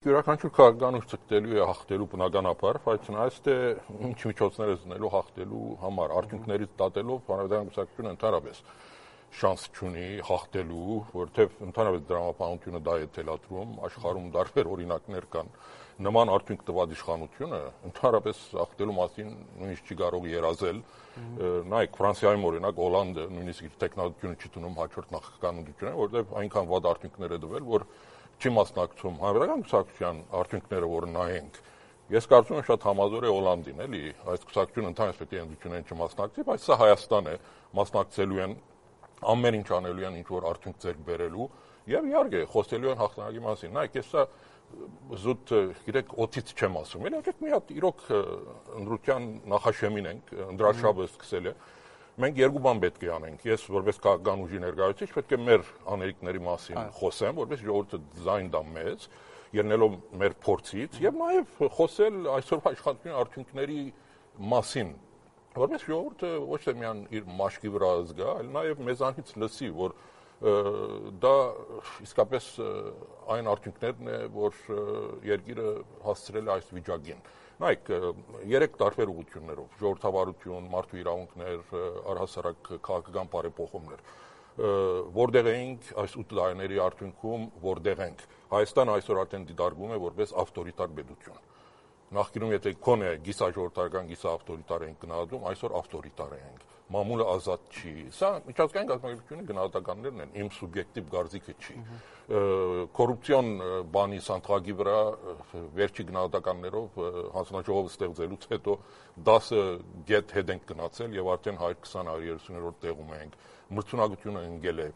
Յուրաքանչյուր քաղաքականուց ցկտելու է հաղթելու բնականաբար, բայց նայած թե ինչ միջոցներ է զննելու հաղթելու համար, արդյունքներից դատելով հանրապետական կուսակցությունը ընդհանրապես շանս չունի հաղթելու, որովհետև ընդհանրապես դրամապանությունը դա է թելադրում, աշխարհում տարբեր օրինակներ կան, նման արդյունք տված իշխանությունը ընդհանրապես հաղթելու մասին նույնիսկ չի կարող երազել, նայեք Ֆրանսիայում օրինակ Հոլանդը նույնիսկ իր տեխնոլոգիությունը չի տնում հաջորդ նախագահական ընտրություններին, որովհետև այնքան վատ արդյունքներ է տվել, որ չի մասնակցում հանրապետական կուսակցության արդյունքները, որ նայենք, ես կարծում եմ շատ համազոր է Հոլանդին, էլի, այս կուսակցությունը ընդհանրապես պետք է ընտրություններին չմասնակցի, բայց սա Հայաստան է, մասնակցելու են, ամեն ինչ անելու են, ինչ որ արդյունք ձեռք բերելու, եւ իհարկե խոսելու են հաղթանակի մասին։ Նայեք, ես սա զուտ, գիտեք, օդից չեմ ասում, էլի, եկեք մի հատ իրոք ընտրության նախաշեմին ենք, ընդրաշաբը սկսել է։ Մենք երկու բան պետք է անենք։ Ես որպես քաղաքական ուժի ներկայացուցիչ պետք է մեր անելիքների մասին խոսեմ, որպես ժողովուրդը ձայն տա մեզ, ելնելով մեր փորձից, եւ նաեւ խոսել այսօրվա իշխանության արդյունքների մասին, որպես ժողովուրդը ոչ թե միայն իր մաշկի վրա զգա, այլ նաեւ մեզանից լսի, որ դա իսկապես այն արդյունքներն է, որ երկիրը հասցրել է այս վիճակին։ Նայեք, 3 տարբեր ուղղություններով՝ ժողովրդավարություն, մարդու իրավունքներ, առհասարակ քաղաքական բարեփոխումներ, որտեղ էինք այս 8 տարիների արդյունքում, որտեղ ենք։ Հայաստանը այսօր արդեն դիտարկվում է որպես ավտորիտար պետություն։ Նախկինում եթե քոնե գիսաժողովրդական, գիսաավտորիտար ենք գնահատում, այսօր ավտորիտար ենք։ Մամուլը ազատ չի։ Սա միջազգային կազմակերպությունների գնահատականներն են, իմ սուբյեկտիվ կարծիքը չի։ Կոռուպցիոն բանի սանդղակի վրա վերջի գնահատականներով հանձնաժողովը ստեղծելուց հետո 10 գետ հետ ենք գնացել եւ արդեն 120-130-րդ տեղում ենք։ Մրցունակությունը ընկել է